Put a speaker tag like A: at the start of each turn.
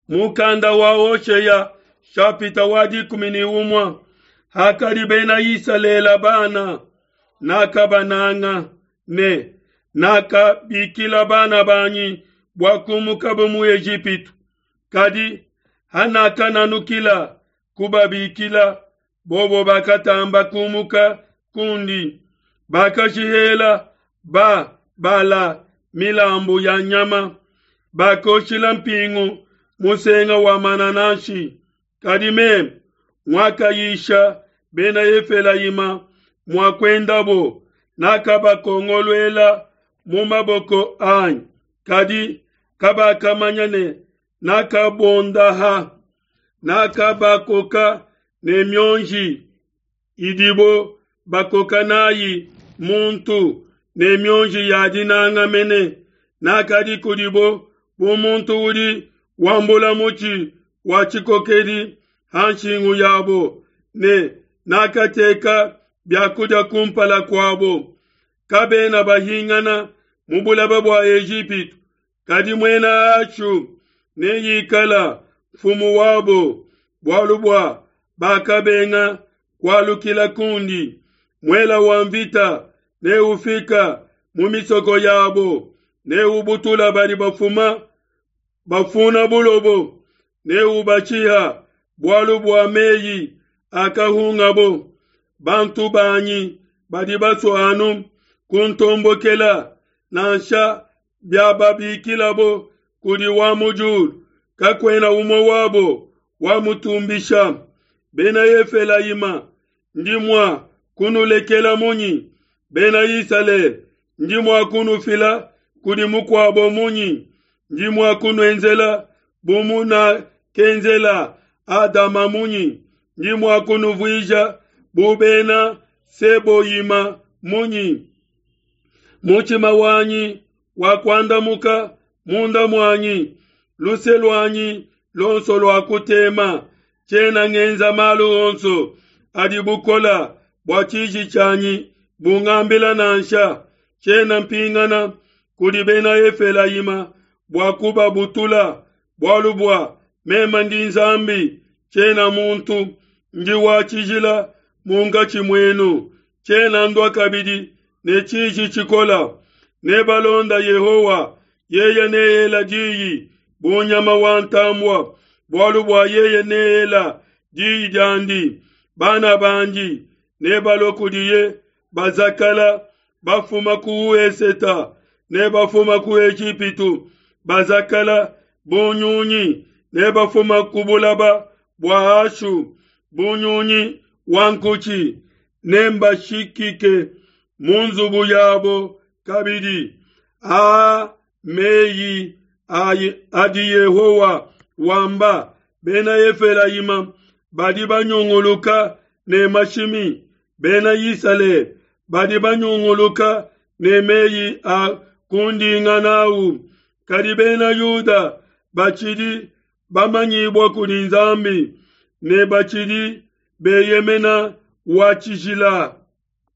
A: Mukanda wa Hoshea shapita wa 11. Hakadi Bena Isalele bana, nakabananga ne nakabikila bana banyi bua kumukabo mu Ejipitu. Kadi hanakananukila kubabikila, bobo bakatamba kumuka kundi, bakashihela ba Bala milambu ya nyama, bakoshila mpingu musenga wa manananshi. Kadi meme nguakayisha Bena Efelayima mua kuendabo, nakabakongoluela mu maboko anyi, kadi kabakamanya ne nakabondaha, nakabakoka ne mionji idibo bakoka nayi muntu, ne mionji ya dinanga mene. Nakadi kudibo bu muntu udi wambula mutshi wa tshikokedi ha nshingu yabo, ne nakateka biakudia kumpala kuabo. Kabena bahingana mu bulaba bua Ejipitu, kadi muena Ashu neikala mfumu wabo, bualu bua bakabenga kualukila kundi. Muela wa mvita neufika mu misoko yabo, neubutula badi bafuma bafuna bulobo, neubatshiha bualu bua meyi akahungabo. Bantu banyi badi basua anu kuntombokela, nansha biababikilabo kudi wa mu diulu, kakuena umue wabo wamutumbisha. Bena Efelayima, ndi mua kunulekela munyi? Bena Isalele, ndi mua kunufila kudi mukuabo munyi? Ndi mua kunuenzela bu munakenzela Adama munyi? Ndi mua kunuvuija bu bena Seboyima munyi? Mutshima wanyi wakuandamuka munda muanyi, luse luanyi luonso luakutema. Tshiena ngenza malu onso adi bukola bua tshiji tshianyi bungambila nansha. Tshiena mpingana kudi bena Efelayima bua kubabutula, bualu bua meme ndi Nzambi, tshiena muntu, ndi wa tshijila munkatshi muenu. Tshiena ndua kabidi ne tshiji tshikola. Nebalonda Yehowa, yeye neela diyi bu nyama wa ntambua, bualu bua yeye neela diyi diandi. Bana bandi nebalue kudiye bazakala, bafuma ku Eseta ne bafuma ku Ejipitu, bazakala bu nyunyi, ne bafuma ku bulaba bua Ashu bu nyunyi wa nkutshi. Nembashikike mu nzubu yabo kabidi. Aa meyi adi Yehowa wamba: Bena Efelayima badi banyunguluka ne mashimi, Bena Isalele badi banyunguluka ne meyi a kundinga nawu, kadi Bena Yuda batshidi bamanyibua kudi Nzambi ne batshidi beyemena wa tshijila.